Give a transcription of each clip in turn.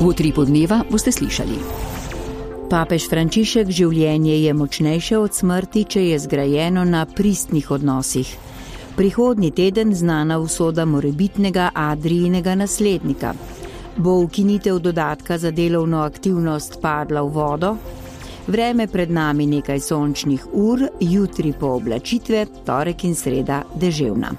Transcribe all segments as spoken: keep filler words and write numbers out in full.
V Utripu dneva boste slišali. Papež Frančišek: življenje je močnejše od smrti, če je zgrajeno na pristnih odnosih. Prihodnji teden znana usoda morebitnega Adrijinega naslednika. Bo ukinitev dodatka za delovno aktivnost padla v vodo? Vreme pred nami nekaj sončnih ur, jutri pooblačitve, torek in sreda deževna.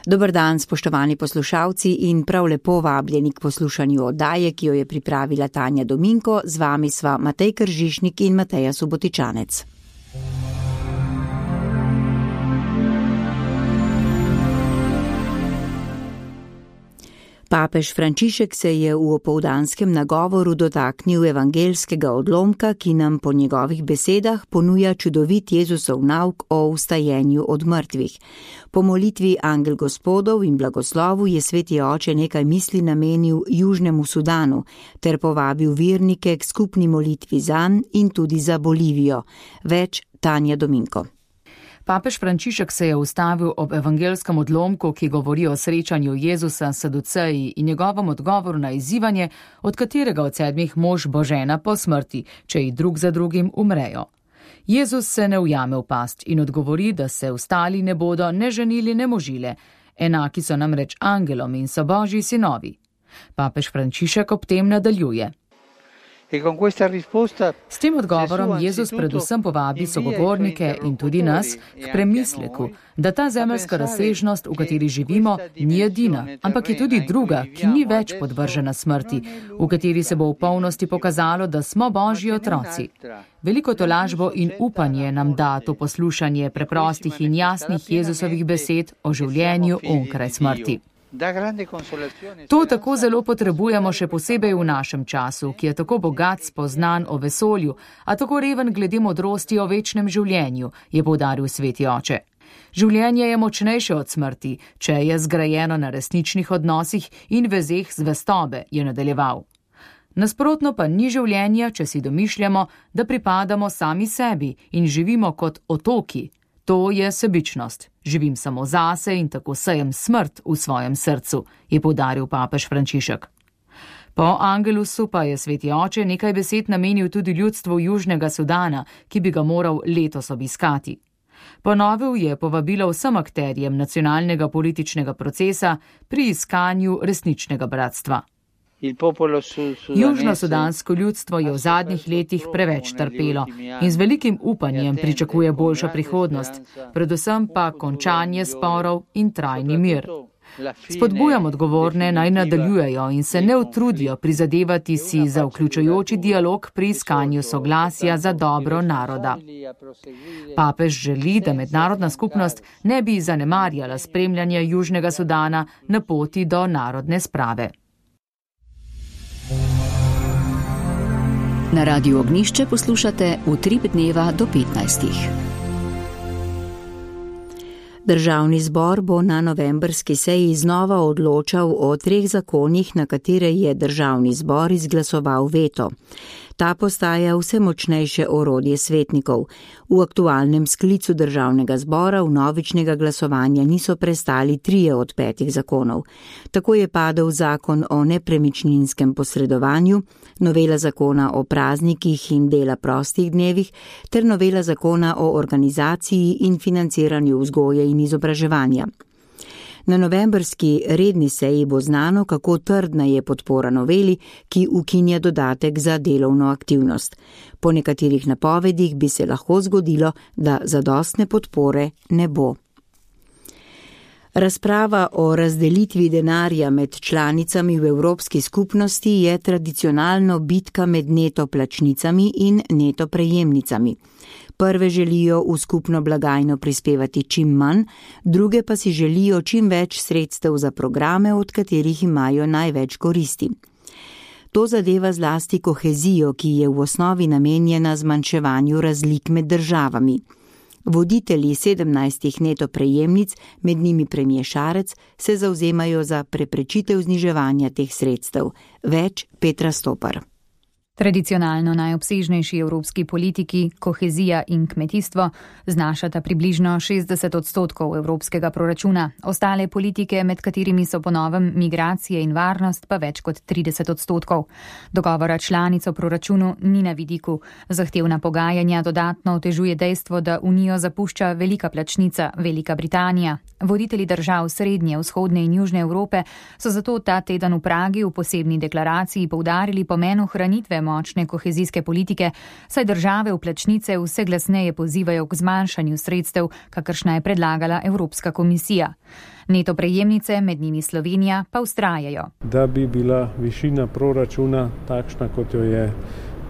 Dober dan, spoštovani poslušalci, in prav lepo vabljeni k poslušanju oddaje, ki jo je pripravila Tanja Dominko. Z vami sva Matej Kržišnik in Mateja Subotičanec. Papež Frančišek se je v opoldanskem nagovoru dotaknil evangeljskega odlomka, ki nam po njegovih besedah ponuja čudovit Jezusov nauk o vstajenju od mrtvih. Po molitvi Angel Gospodov in blagoslovu je sveti oče nekaj misli namenil Južnemu Sudanu ter povabil vernike k skupni molitvi zanj in tudi za Bolivijo. Več Tanja Dominko. Papež Frančišek se je ustavil ob evangelskem odlomku, ki govori o srečanju Jezusa s Saduceji in njegovem odgovoru na izzivanje, od katerega od sedmih mož bo žena po smrti, če ji drug za drugim umrejo. Jezus se ne ujame v past in odgovori, da se ostali ne bodo ne ženili, ne možile. Enaki so namreč angelom in so Božji sinovi. Papež Frančišek ob tem nadaljuje. S tem odgovorom Jezus predvsem povabi sogovornike in tudi nas k premisleku, da ta zemeljska razsežnost, v kateri živimo, ni edina, ampak je tudi druga, ki ni več podvržena smrti, v kateri se bo v polnosti pokazalo, da smo Božji otroci. Veliko tolažbo in upanje nam da to poslušanje preprostih in jasnih Jezusovih besed o življenju onkraj smrti. To tako zelo potrebujemo še posebej v našem času, ki je tako bogat spoznan o vesolju, a tako reven glede modrosti o večnem življenju, je poudaril sveti oče. Življenje je močnejše od smrti, če je zgrajeno na resničnih odnosih in vezeh zvestobe, je nadaljeval. Nasprotno pa ni življenja, če si domišljamo, da pripadamo sami sebi in živimo kot otoki. To je sebičnost. Živim samo zase in tako sejem smrt v svojem srcu, je poudaril papež Frančišek. Po Angelusu pa je sveti oče nekaj besed namenil tudi ljudstvu Južnega Sudana, ki bi ga moral letos obiskati. Ponovil je povabilo vsem akterjem nacionalnega političnega procesa pri iskanju resničnega bratstva. Južno-sudansko ljudstvo je v zadnjih letih preveč trpelo in z velikim upanjem pričakuje boljšo prihodnost, predvsem pa končanje sporov in trajni mir. Spodbujam odgovorne naj nadaljujejo in se ne utrudijo prizadevati si za vključujoči dialog pri iskanju soglasja za dobro naroda. Papež želi, da mednarodna skupnost ne bi zanemarjala spremljanja Južnega Sudana na poti do narodne sprave. Na Radiu Ognjišče poslušate Utrip dneva do petnajstih. Državni zbor bo na novembrski seji znova odločal o treh zakonih, na katere je državni zbor izglasoval veto. Ta postaja vse močnejše orodje svetnikov. V aktualnem sklicu državnega zbora vnovičnega glasovanja niso prestali trije od petih zakonov. Tako je padel zakon o nepremičninskem posredovanju, novela zakona o praznikih in dela prostih dnevih ter novela zakona o organizaciji in financiranju vzgoje in izobraževanja. Na novembrski redni seji bo znano, kako trdna je podpora noveli, ki ukinja dodatek za delovno aktivnost. Po nekaterih napovedih bi se lahko zgodilo, da zadostne podpore ne bo. Razprava o razdelitvi denarja med članicami v Evropski skupnosti je tradicionalno bitka med neto plačnicami in neto prejemnicami. Prve želijo v skupno blagajno prispevati čim manj, druge pa si želijo čim več sredstev za programe, od katerih imajo največ koristi. To zadeva zlasti kohezijo, ki je v osnovi namenjena zmanjševanju razlik med državami. Voditelji sedemnajstih neto prejemnic, med njimi premier Šarec, se zavzemajo za preprečitev zniževanja teh sredstev. Več Petra Stopar. Tradicionalno najobsežnejši evropski politiki, kohezija in kmetijstvo, znašata približno šestdeset odstotkov evropskega proračuna. Ostale politike, med katerimi so po novem migracije in varnost, pa več kot trideset odstotkov. Dogovora članic o proračunu ni na vidiku. Zahtevna pogajanja dodatno otežuje dejstvo, da Unijo zapušča velika plačnica, Velika Britanija. Voditelji držav Srednje, Vzhodne in Južne Evrope so zato ta teden v Pragi v posebni deklaraciji poudarili pomen ohranitve močne kohezijske politike, saj države vplačnice vse glasneje pozivajo k zmanjšanju sredstev, kakršna je predlagala Evropska komisija. Neto prejemnice, med njimi Slovenija, pa vztrajajo. Da bi bila višina proračuna takšna, kot jo je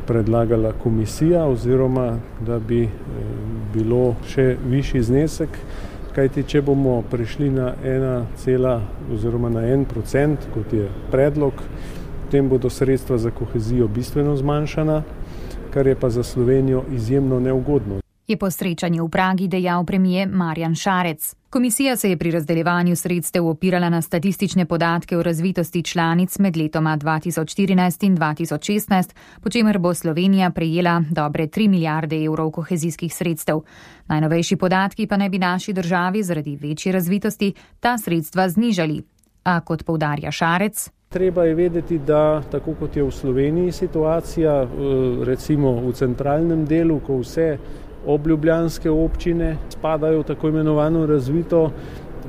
predlagala komisija, oziroma da bi bilo še višji znesek, kajti če bomo prišli na ena cela oziroma na en procent, kot je predlog, potem bodo sredstva za kohezijo bistveno zmanjšana, kar je pa za Slovenijo izjemno neugodno. Je po srečanju v Pragi dejal premier Marjan Šarec. Komisija se je pri razdeljevanju sredstev opirala na statistične podatke o razvitosti članic med letoma dva tisoč štirinajst in dva tisoč šestnajst, po čemer bo Slovenija prejela dobre tri milijarde evrov kohezijskih sredstev. Najnovejši podatki pa naj bi naši državi zaradi večje razvitosti ta sredstva znižali. A kot poudarja Šarec, treba je vedeti, da tako kot je v Sloveniji situacija, recimo v centralnem delu, ko vse obljubljanske občine spadajo v tako imenovano razvito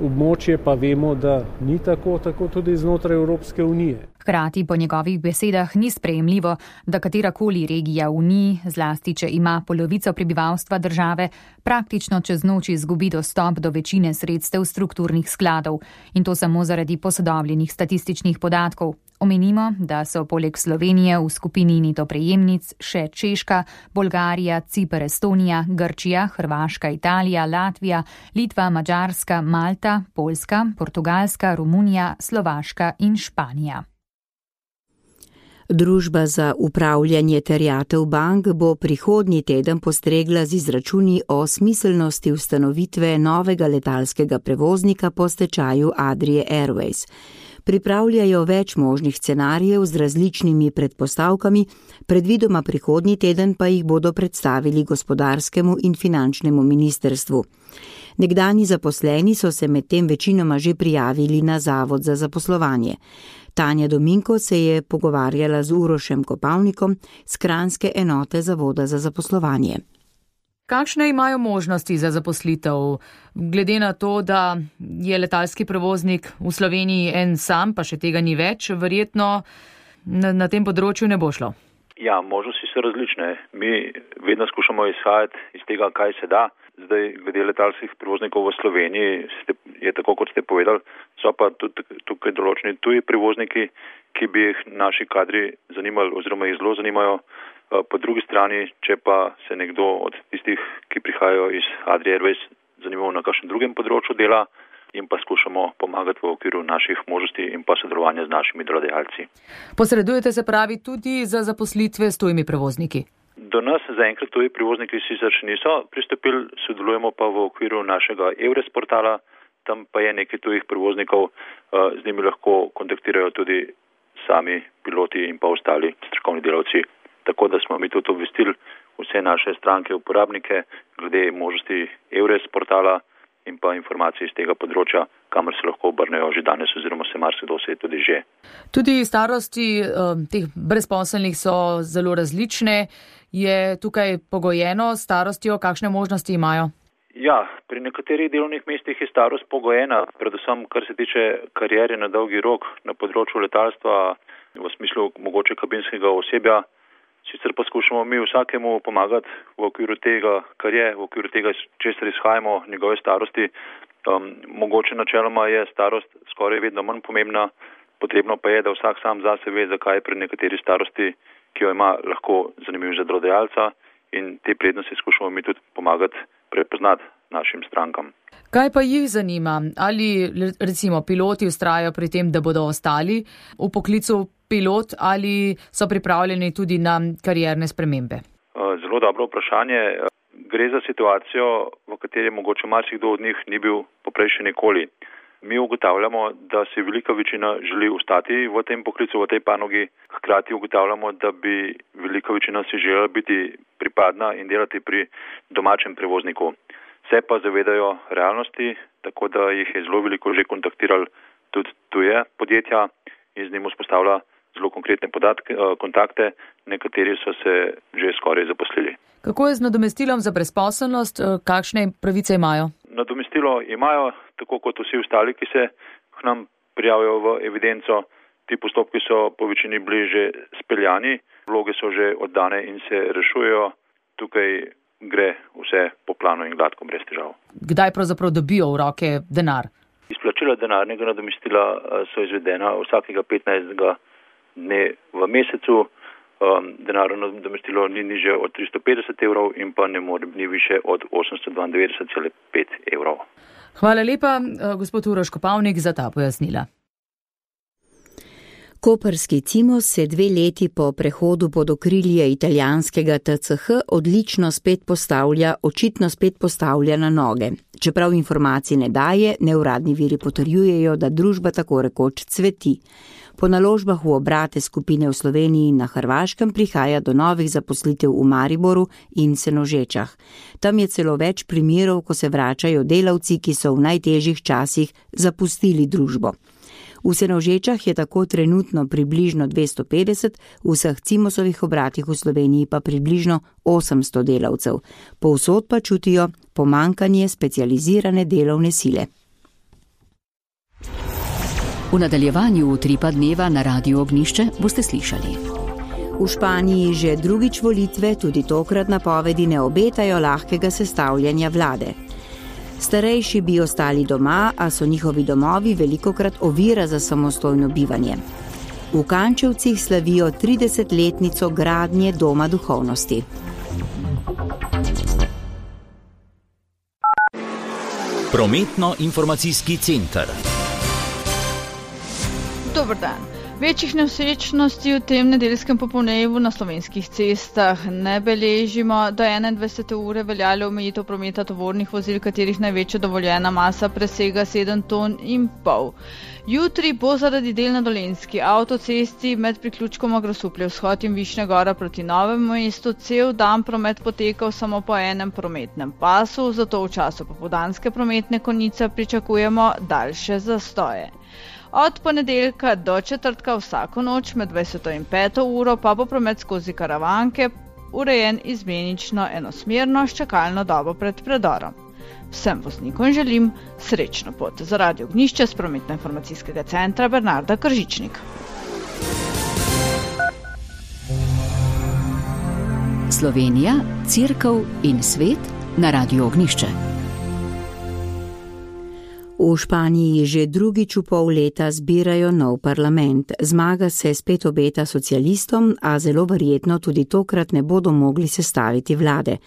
območje, pa vemo, da ni tako, tako tudi znotraj Evropske unije. Hkrati po njegovih besedah ni sprejemljivo, da katerakoli regija v Uniji, zlasti če ima polovico prebivalstva države, praktično čez noč izgubi dostop do večine sredstev strukturnih skladov. In to samo zaradi posodobljenih statističnih podatkov. Omenimo, da so poleg Slovenije v skupini neto prejemnic še Češka, Bolgarija, Ciper, Estonija, Grčija, Hrvaška, Italija, Latvija, Litva, Madžarska, Malta, Poljska, Portugalska, Romunija, Slovaška in Španija. Družba za upravljanje terjatev bank bo prihodnji teden postregla z izračuni o smiselnosti ustanovitve novega letalskega prevoznika po stečaju Adrie Airways. Pripravljajo več možnih scenarijev z različnimi predpostavkami, predvidoma prihodnji teden pa jih bodo predstavili gospodarskemu in finančnemu ministrstvu. Nekdanji zaposleni so se medtem večinoma že prijavili na Zavod za zaposlovanje. Tanja Dominko se je pogovarjala z Urošem Kopavnikom z kranjske enote Zavoda za zaposlovanje. Kakšne imajo možnosti za zaposlitev, glede na to, da je letalski prevoznik v Sloveniji en sam, pa še tega ni več, verjetno na, na tem področju ne bo šlo? Ja, možnosti so različne. Mi vedno skušamo izhajati iz tega, kaj se da. Zdaj, glede letalskih prevoznikov v Sloveniji, je tako, kot ste povedali, so pa tudi tukaj določeni tuji prevozniki, ki bi jih naši kadri zanimali oziroma jih zelo zanimajo. Po drugi strani, če pa se nekdo od tistih, ki prihajajo iz Adrie Airways, zanimal na kakšnem drugem področju dela, in pa skušamo pomagati v okviru naših možnosti in pa sodelovanja z našimi delodajalci. Posredujete se pravi tudi za zaposlitve s tujimi prevozniki? Do nas zaenkrat tuji prevozniki sicer še niso pristopili, sodelujemo pa v okviru našega Eures portala, tam pa je nekaj tujih prevoznikov, z njimi lahko kontaktirajo tudi sami piloti in pa ostali strokovni delavci. Tako da smo mi tudi obvestili vse naše stranke, uporabnike, glede možnosti Eures portala in pa informacij iz tega področja, kamor se lahko obrnejo že danes oziroma se marsikdo se tudi že. Tudi starosti uh, teh brezposelnih so zelo različne. Je tukaj pogojeno starostjo, kakšne možnosti imajo? Ja, pri nekaterih delovnih mestih je starost pogojena, predvsem kar se tiče kariere na dolgi rok na področju letalstva, v smislu mogoče kabinskega osebja. Sicer pa skušamo mi vsakemu pomagati v okviru tega, kar je, v okviru tega, česar izhajamo, njegove starosti. Um, mogoče načeloma je starost skoraj vedno manj pomembna, potrebno pa je, da vsak sam zase ve, zakaj je pri nekateri starosti, ki jo ima, lahko zanimiv za delodajalca, in te prednosti skušamo mi tudi pomagati prepoznati našim strankam. Kaj pa jih zanima? Ali recimo piloti vztrajajo pri tem, da bodo ostali v poklicu pilot, ali so pripravljeni tudi na karierne spremembe? Zelo dobro vprašanje. Gre za situacijo, v kateri mogoče marsikdo od njih ni bil poprej še nikoli. Mi ugotavljamo, da se velika večina želi ostati v tem poklicu, v tej panogi. Hkrati ugotavljamo, da bi velika večina si želela biti pripadna in delati pri domačem prevozniku. Se pa zavedajo realnosti, tako da jih je zelo veliko že kontaktirali tudi tuje podjetja in z njim vzpostavlja zelo konkretne podatke, kontakte, nekateri so se že skoraj zaposlili. Kako je z nadomestilom za brezposelnost, kakšne pravice imajo? Nadomestilo imajo, tako kot vsi ostali, ki se k nam prijavijo v evidenco. Ti postopki so po večini bili že speljani, vloge so že oddane in se rešujejo. Tukaj gre vse po planu in gladko, brez težav. Kdaj pravzaprav dobijo v roke denar? Izplačila denarnega nadomestila so izvedena vsakega petnajstega dne v mesecu. Denarno nadomestilo ni nižje od tristo petdeset evrov in pa ne more ni više od osemsto dvaindevetdeset celih pet evrov. Hvala lepa, gospod Uroš Kopavnik, za ta pojasnila. Koprski Cimos se dve leti po prehodu pod okrilje italijanskega T C H odlično spet postavlja, očitno spet postavlja na noge. Čeprav informacij ne daje, neuradni viri potrjujejo, da družba tako rekoč cveti. Po naložbah v obrate skupine v Sloveniji in na Hrvaškem prihaja do novih zaposlitev v Mariboru in Senožečah. Tam je celo več primerov, ko se vračajo delavci, ki so v najtežjih časih zapustili družbo. V Senožečah je tako trenutno približno dvesto petdeset, v vseh Cimosovih obratih v Sloveniji pa približno osemsto delavcev. Povsod pa čutijo pomanjkanje specializirane delovne sile. V nadaljevanju Utripa dneva na Radiu Ognjišče boste slišali. V Španiji že drugič volitve, tudi tokrat napovedi ne obetajo lahkega sestavljanja vlade. Starejši bi ostali doma, a so njihovi domovi velikokrat ovira za samostojno bivanje. V Kančevcih slavijo tridesetletnico gradnje Doma duhovnosti. Prometno-informacijski center. Dober dan. Večjih nevsrečnosti v tem nedeljskem popoldnevu na slovenskih cestah ne beležimo. Do enaindvajsete ure veljalo omejitev prometa tovornih vozil, katerih največja dovoljena masa presega sedem ton in pol. Jutri bo zaradi del na Dolenjski avtocesti med priključkoma Grosuplje vzhod in Višnja Gora proti Novemu mestu cel dan promet potekal samo po enem prometnem pasu, zato v času popoldanske prometne konice pričakujemo daljše zastoje. Od ponedeljka do četrtka vsako noč med dvajseto in peto uro pa bo promet skozi Karavanke urejen izmenično enosmerno s čakalno dobo pred predorom. Vsem voznikom želim srečno pot. Za Radio Ognjišče z Prometno-informacijskega centra Bernarda Kržičnik. Slovenija, Cerkev in svet na Radiu Ognjišče. V Španiji že drugič v pol leta zbirajo nov parlament. Zmaga se spet obeta socialistom, a zelo verjetno tudi tokrat ne bodo mogli sestaviti vlade.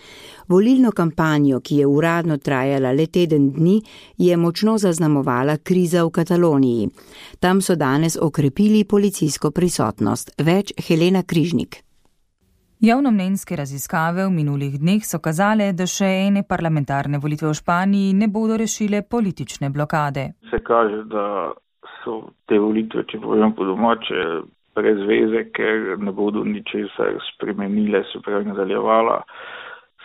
Volilno kampanjo, ki je uradno trajala le teden dni, je močno zaznamovala kriza v Kataloniji. Tam so danes okrepili policijsko prisotnost. Več Helena Križnik. Javnomnenjske raziskave v minulih dneh so kazale, da še ene parlamentarne volitve v Španiji ne bodo rešile politične blokade. Se kaže, da so te volitve, če povem po domače, brez veze, ker ne bodo ničesar spremenile, se pravi nadaljevala,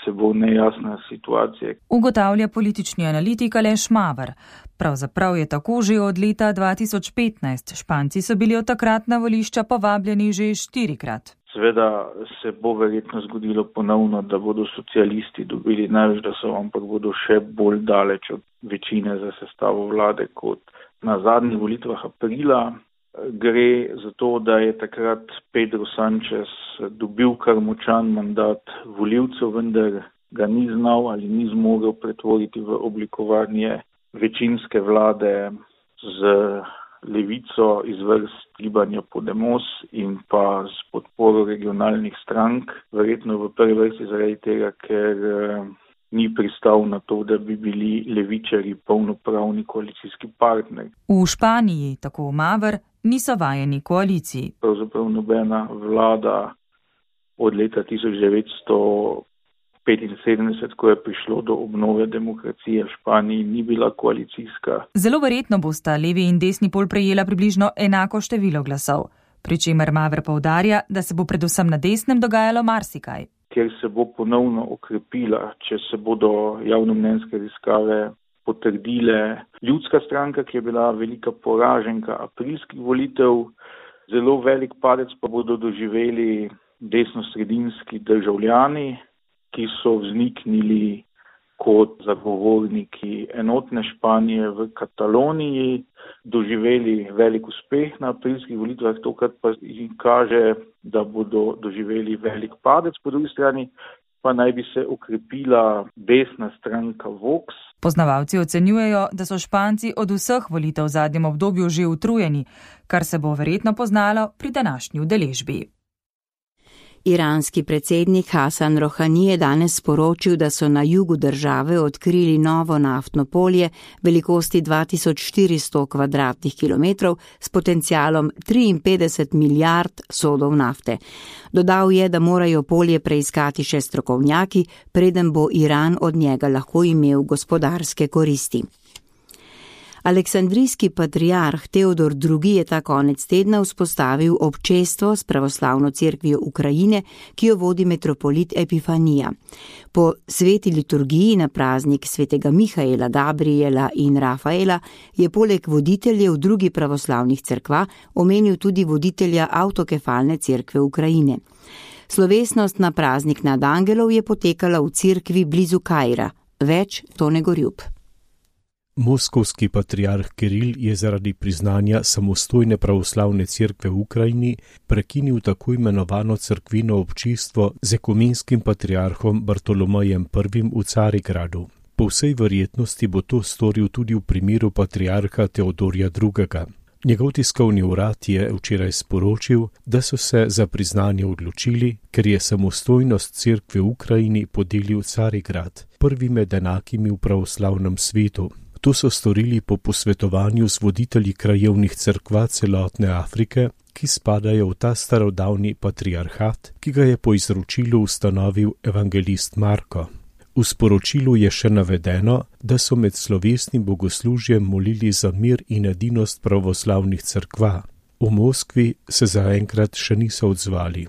se bo nejasna situacija. Ugotavlja politični analitik Aleš Maver. Pravzaprav je tako že od leta dva tisoč petnajst. Španci so bili od takrat na volišča povabljeni že štirikrat. Seveda se bo verjetno zgodilo ponovno, da bodo socialisti dobili največ glasov, ampak bodo še bolj daleč od večine za sestavo vlade kot na zadnjih volitvah aprila. Gre za to, da je takrat Pedro Sánchez dobil kar močan mandat volivcev, vendar ga ni znal ali ni zmogel pretvoriti v oblikovanje večinske vlade z levico iz vrst gibanja Podemos in pa s podporo regionalnih strank, verjetno v prvi vrsti zaradi tega, ker eh, ni pristal na to, da bi bili levičari polnopravni koalicijski partneri. V Španiji, tako Maver, niso vajeni koaliciji. Pravzaprav nobena vlada od leta tisoč devetsto petinsedemdeset, ko je prišlo do obnove demokracije v Španiji, ni bila koalicijska. Zelo verjetno bosta levi in desni pol prejela približno enako število glasov, pri čemer Maver poudarja, da se bo predvsem na desnem dogajalo marsikaj. Ker se bo ponovno okrepila, če se bodo javnomnenjske raziskave potrdile. Ljudska stranka, ki je bila velika poraženka aprilskih volitev, zelo velik padec pa bodo doživeli desnosredinski državljani, ki so vzniknili kot zagovorniki enotne Španije v Kataloniji, doživeli velik uspeh na aprilskih volitvah, tokrat pa jim kaže, da bodo doživeli velik padec, po drugi strani pa naj bi se okrepila desna stranka Vox. Poznavalci ocenjujejo, da so Španci od vseh volitev v zadnjem obdobju že utrujeni, kar se bo verjetno poznalo pri današnji udeležbi. Iranski predsednik Hasan Rohani je danes sporočil, da so na jugu države odkrili novo naftno polje velikosti dva tisoč štiristo kvadratnih kilometrov s potencialom triinpetdeset milijard sodov nafte. Dodal je, da morajo polje preiskati še strokovnjaki, preden bo Iran od njega lahko imel gospodarske koristi. Aleksandrijski patriarh Teodor drugi. Je ta konec tedna vzpostavil občestvo s pravoslavno cerkvijo Ukrajine, ki jo vodi metropolit Epifanija. Po sveti liturgiji na praznik svetega Mihaela, Gabriela in Rafaela je poleg voditeljev drugih pravoslavnih cerkva omenil tudi voditelja avtokefalne cerkve Ukrajine. Slovesnost na praznik nad angelov je potekala v cerkvi blizu Kaira. Več Tone Gorjub. Moskovski patriarh Kiril je zaradi priznanja samostojne pravoslavne cerkve v Ukrajini prekinil tako imenovano cerkvino občinstvo z ekumenskim patriarhom Bartolomejem prvim v Carigradu. Po vsej verjetnosti bo to storil tudi v primeru patriarha Teodorja drugega. Njegov tiskovni urad je včeraj sporočil, da so se za priznanje odločili, ker je samostojnost cerkve v Ukrajini podelil Carigrad, prvi med enakimi v pravoslavnem svetu. To so storili po posvetovanju z voditelji krajevnih cerkva celotne Afrike, ki spadajo v ta starodavni patriarhat, ki ga je po izročilu ustanovil evangelist Marko. V sporočilu je še navedeno, da so med slovesnim bogoslužjem molili za mir in edinost pravoslavnih cerkva. V Moskvi se zaenkrat še niso odzvali.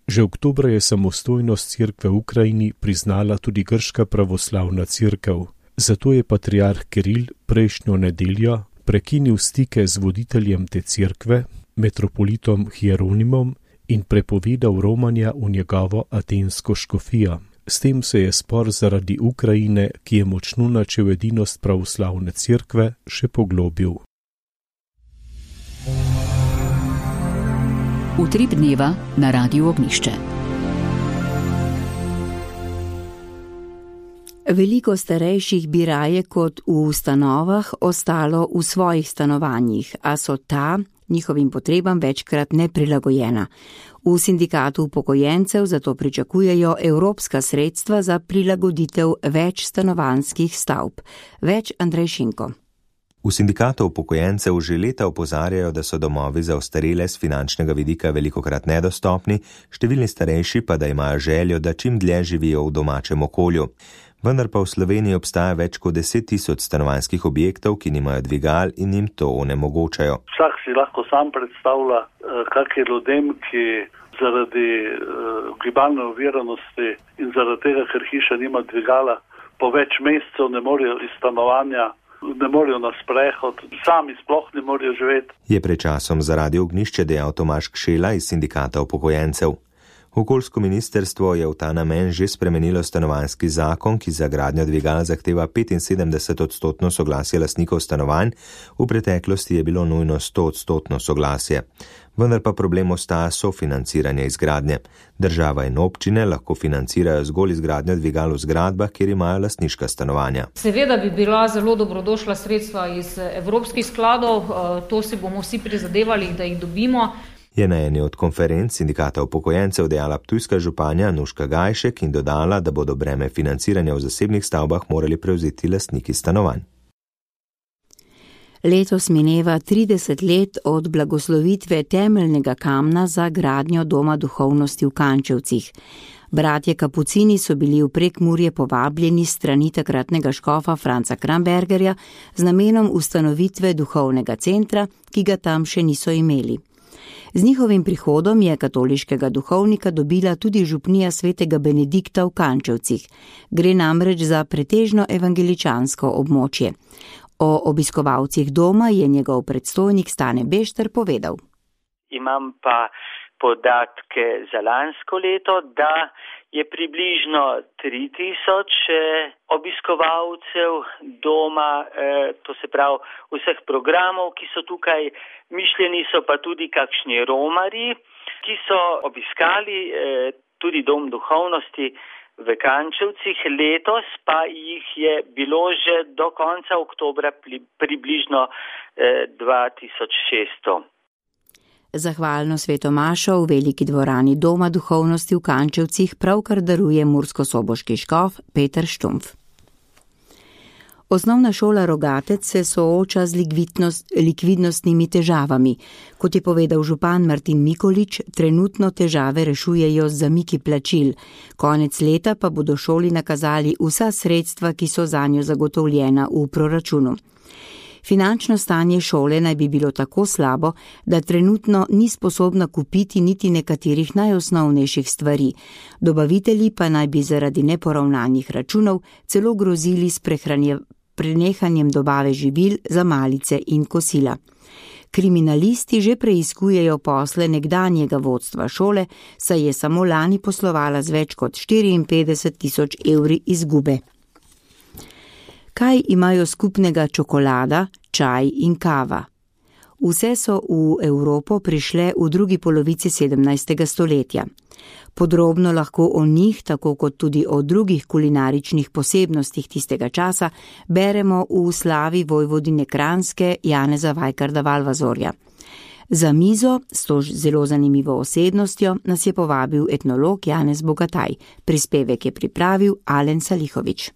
Že oktobra je samostojnost cerkve v Ukrajini priznala tudi grška pravoslavna cerkev. Zato je patriarh Kiril prejšnjo nedeljo prekinil stike z voditeljem te cerkve, metropolitom Hieronimom, in prepovedal romanja v njegovo atensko škofijo. S tem se je spor zaradi Ukrajine, ki je močno načel edinost pravoslavne cerkve, še poglobil. Utrip dneva na Radiu Ognjišče. Veliko starejših bi raje kot v ustanovah ostalo v svojih stanovanjih, a so ta njihovim potrebam večkrat neprilagojena. V sindikatu upokojencev zato pričakujejo evropska sredstva za prilagoditev več stanovanjskih stavb. Več Andrej Šinko. V sindikatu upokojencev že leta opozarjajo, da so domovi za ostarele z finančnega vidika velikokrat nedostopni, številni starejši pa da imajo željo, da čim dlje živijo v domačem okolju. Vendar pa v Sloveniji obstaja več kot deset tisoč stanovanjskih objektov, ki nimajo dvigal in jim to onemogočajo. Vsak si lahko sam predstavlja, kak je ljudem, ki zaradi gibalne oviranosti in zaradi tega, ker hiša nima dvigala, po več mesecev ne morejo iz stanovanja, ne morejo na sprehod, sami sploh ne morejo živeti. Je pred časom za Radio Ognjišče dejal Tomaž Kšela iz sindikata upokojencev. Okoljsko ministrstvo je v ta namen že spremenilo stanovanjski zakon, ki za gradnjo dvigal zahteva petinsedemdeset odstotno soglasje lastnikov stanovanj, v preteklosti je bilo nujno sto odstotno soglasje. Vendar pa problem ostaja sofinanciranje izgradnje. Država in občine lahko financirajo zgolj izgradnjo dvigal v zgradbah, kjer imajo lastniška stanovanja. Seveda bi bila zelo dobrodošla sredstva iz evropskih skladov, to si bomo vsi prizadevali, da jih dobimo. Je na eni od konferenc sindikata upokojencev dejala ptujska županja Nuška Gajšek in dodala, da bodo breme financiranja v zasebnih stavbah morali prevzeti lastniki stanovanj. Letos mineva trideset let od blagoslovitve temeljnega kamna za gradnjo Doma duhovnosti v Kančevcih. Bratje Kapucini so bili v Prekmurje povabljeni strani takratnega škofa Franca Krambergerja z namenom ustanovitve duhovnega centra, ki ga tam še niso imeli. Z njihovim prihodom je katoliškega duhovnika dobila tudi župnija svetega Benedikta v Kančevcih. Gre namreč za pretežno evangeličansko območje. O obiskovalcih doma je njegov predstojnik Stane Bešter povedal. Imam pa podatke za lansko leto, da je približno tri tisoč obiskovalcev doma, to se pravi vseh programov, ki so tukaj. Mišljeni so pa tudi kakšni romarji, ki so obiskali tudi dom duhovnosti v Kančevcih. Letos pa jih je bilo že do konca oktobra približno dva tisoč šeststo. Zahvalno svetomašo v veliki dvorani Doma duhovnosti v Kančevcih pravkar daruje murskosoboški škof Peter Štumpf. Osnovna šola Rogatec se sooča z likvidnostnimi težavami. Kot je povedal župan Martin Mikolič, trenutno težave rešujejo z zamiki plačil. Konec leta pa bodo šoli nakazali vsa sredstva, ki so zanjo zagotovljena v proračunu. Finančno stanje šole naj bi bilo tako slabo, da trenutno ni sposobna kupiti niti nekaterih najosnovnejših stvari. Dobavitelji pa naj bi zaradi neporavnanih računov celo grozili s prenehanjem dobave živil za malice in kosila. Kriminalisti že preiskujejo posle nekdanjega vodstva šole, saj je samo lani poslovala z več kot štiriinpetdeset tisoč evri izgube. Kaj imajo skupnega čokolada, čaj in kava? Vse so v Evropo prišle v drugi polovici sedemnajstega stoletja. Podrobno lahko o njih, tako kot tudi o drugih kulinaričnih posebnostih tistega časa, beremo v slavi vojvodine Kranjske Janeza Vajkarda Valvazorja. Za mizo s to zelo zanimivo osebnostjo nas je povabil etnolog Janez Bogataj. Prispevek je pripravil Alen Salihovič.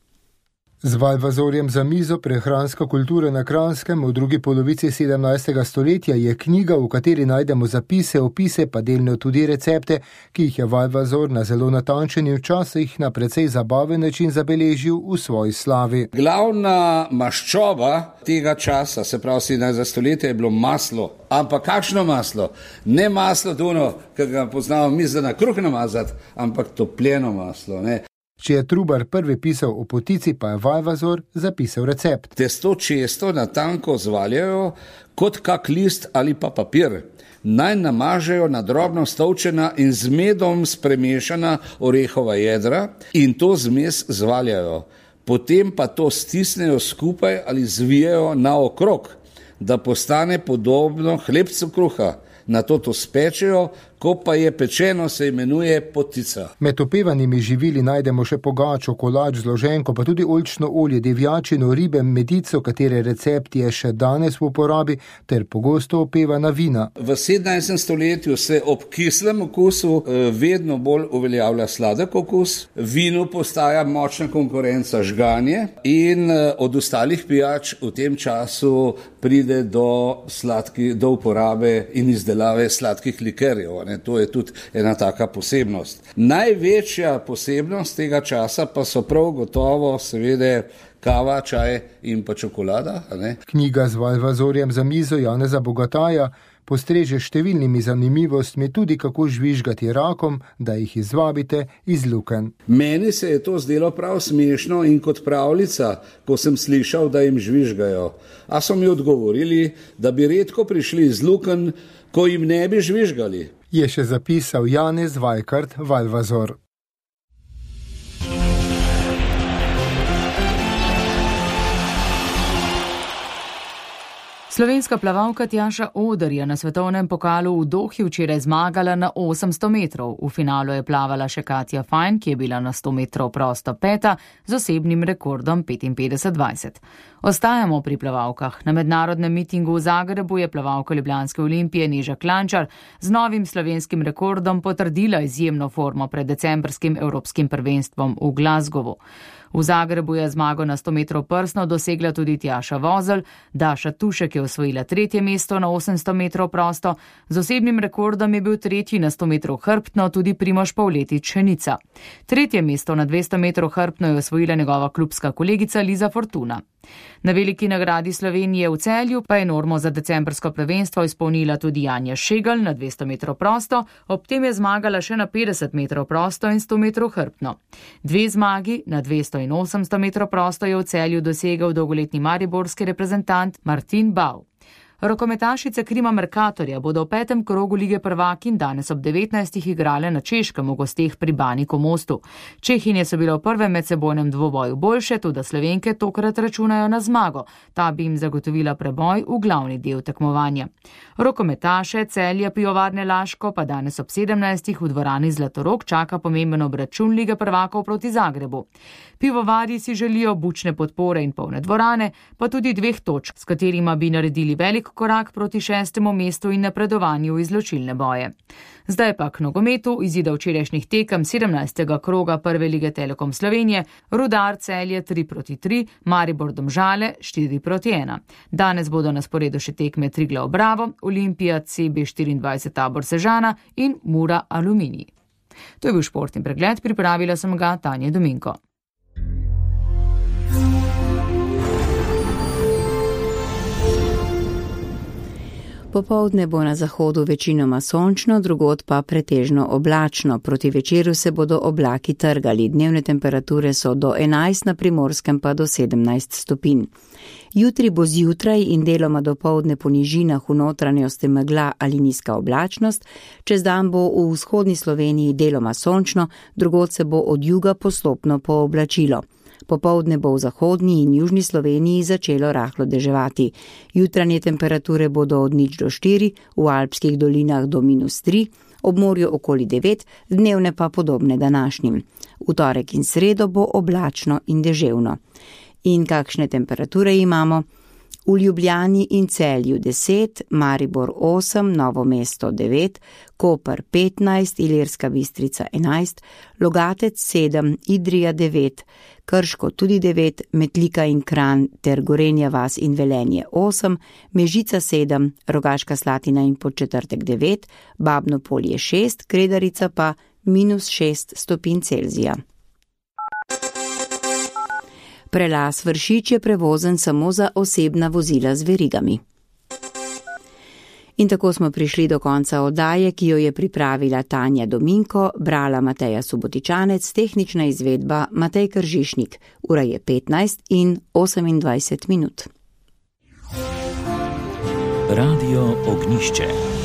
Z Valvazorjem za mizo prehranska kultura na Kranjskem v drugi polovici sedemnajstega stoletja je knjiga, v kateri najdemo zapise, opise pa delno tudi recepte, ki jih je Valvazor na zelo natančen in včasih na precej zabaven način zabeležil v svoji slavi. Glavna maščoba tega časa, se pravi sedemnajstega stoletja, je bilo maslo. Ampak kakšno maslo? Ne maslo tuno, ki ga poznamo mi za na kruh namazati, ampak topljeno maslo, ne. Če je Trubar prvi pisal o potici, pa je Valvazor zapisal recept. Testo često na tanko zvaljajo kot kak list ali pa papir. Naj namažejo na drobno stolčena in z medom spremešana orehova jedra in to zmes zvaljajo. Potem pa to stisnejo skupaj ali zvijajo naokrog, da postane podobno hlebcu kruha. Na to to spečejo, ko pa je pečeno, se imenuje potica. Med opevanimi živili najdemo še pogačo, kolač, zloženko, pa tudi oljčno olje, divjačino, ribe, medico, katere recept je še danes v uporabi, ter pogosto opevana vina. V sedemnajstem stoletju se ob kislem okusu vedno bolj uveljavlja sladek okus. Vinu postaja močna konkurenca žganje in od ostalih pijač v tem času pride do, sladki, do uporabe in izdelave sladkih likerjev. To je tudi ena taka posebnost. Največja posebnost tega časa pa so prav gotovo seveda kava, čaj in pa čokolada. Ne? Knjiga z Valvazorjem za mizo Janeza Bogataja postreže številnimi zanimivostmi tudi kako žvižgati rakom, da jih izvabite iz lukenj. Meni se je to zdelo prav smešno in kot pravljica, ko sem slišal, da jim žvižgajo. A so mi odgovorili, da bi redko prišli iz lukenj, ko jim ne bi žvižgali. Je še zapisal Janez Vajkard Valvazor. Slovenska plavalka Tjaša Oder je na svetovnem pokalu v Dohi včeraj zmagala na osemsto metrov. V finalu je plavala še Katja Fajn, ki je bila na sto metrov prosto peta z osebnim rekordom petinpetdeset dvajset. Ostajamo pri plavalkah. Na mednarodnem mitingu v Zagrebu je plavalka Ljubljanske Olimpije Neža Klančar z novim slovenskim rekordom potrdila izjemno formo pred decembrskim evropskim prvenstvom v Glasgowu. V Zagrebu je zmago na sto metrov prsno dosegla tudi Tjaša Vozelj, Daša Tušek je osvojila tretje mesto na osemsto metrov prosto, z osebnim rekordom je bil tretji na sto metrov hrbtno tudi Primož Pavletič Šenica. Tretje mesto na dvesto metrov hrbtno je osvojila njegova klubska kolegica Liza Fortuna. Na veliki nagradi Slovenije v Celju pa je normo za decembrsko prvenstvo izpolnila tudi Janja Šegelj na dvesto metrov prosto, ob tem je zmagala še na petdeset metrov prosto in sto metrov hrbtno. Dve zmagi na dvesto in osemsto metrov prosto je v Celju dosegel dolgoletni mariborski reprezentant Martin Bau. Rokometašice Krima Mercatorja bodo v petem krogu lige prvakinj danes ob devetnajstih igrale na Češkem v gosteh pri Baniku Mostu. Čehinje so bile v prvem medsebojnem dvoboju boljše, tudi Slovenke tokrat računajo na zmago. Ta bi jim zagotovila preboj v glavni del tekmovanja. Rokometaše Celja Pivovarne Laško pa danes ob sedemnajstih v dvorani Zlatorog čaka pomemben obračun lige prvakov proti Zagrebu. Pivovarji si želijo bučne podpore in polne dvorane, pa tudi dveh točk, s katerima bi naredili velik korak proti šestemu mestu in napredovanju v izločilne boje. Zdaj pa k nogometu izida včerajšnjih tekem sedemnajstega kroga prve lige Telekom Slovenije, Rudar Celje tri proti tri, Maribor Domžale štiri proti ena. Danes bodo na sporedu še tekme Triglav Bravo, Olimpija C B štiriindvajset Tabor Sežana in Mura Aluminij. To je bil športni pregled, pripravila sem ga Tanja Dominko. Popoldne bo na zahodu večinoma sončno, drugod pa pretežno oblačno. Proti večeru se bodo oblaki trgali. Dnevne temperature so do enajst, na Primorskem pa do sedemnajst stopinj. Jutri bo zjutraj in deloma dopoldne po nižinah v notranjosti megla ali nizka oblačnost. Čez dan bo v vzhodni Sloveniji deloma sončno, drugod se bo od juga postopno pooblačilo. Popoldne bo v zahodni in južni Sloveniji začelo rahlo deževati. Jutranje temperature bodo od nič do štiri, v alpskih dolinah do minus tri, ob morju okoli devet, dnevne pa podobne današnjim. V torek in sredo bo oblačno in deževno. In kakšne temperature imamo? V Ljubljani in Celju deset, Maribor osem, Novo mesto devet, Koper petnajst, Ilirska Bistrica enajst, Logatec sedem, Idrija devet, Krško tudi devet, Metlika in Kranj ter Gorenja vas in Velenje osem, Mežica sedem, Rogaška Slatina in Podčetrtek devet, Babno Polje šest, Kredarica pa minus šest stopinj Celzija. Prelaz Vršič je prevozen samo za osebna vozila z verigami. In tako smo prišli do konca oddaje, ki jo je pripravila Tanja Dominko, brala Mateja Subotičanec, tehnična izvedba Matej Kržišnik. Ura je petnajst in osemindvajset minut. Radio Ognišče.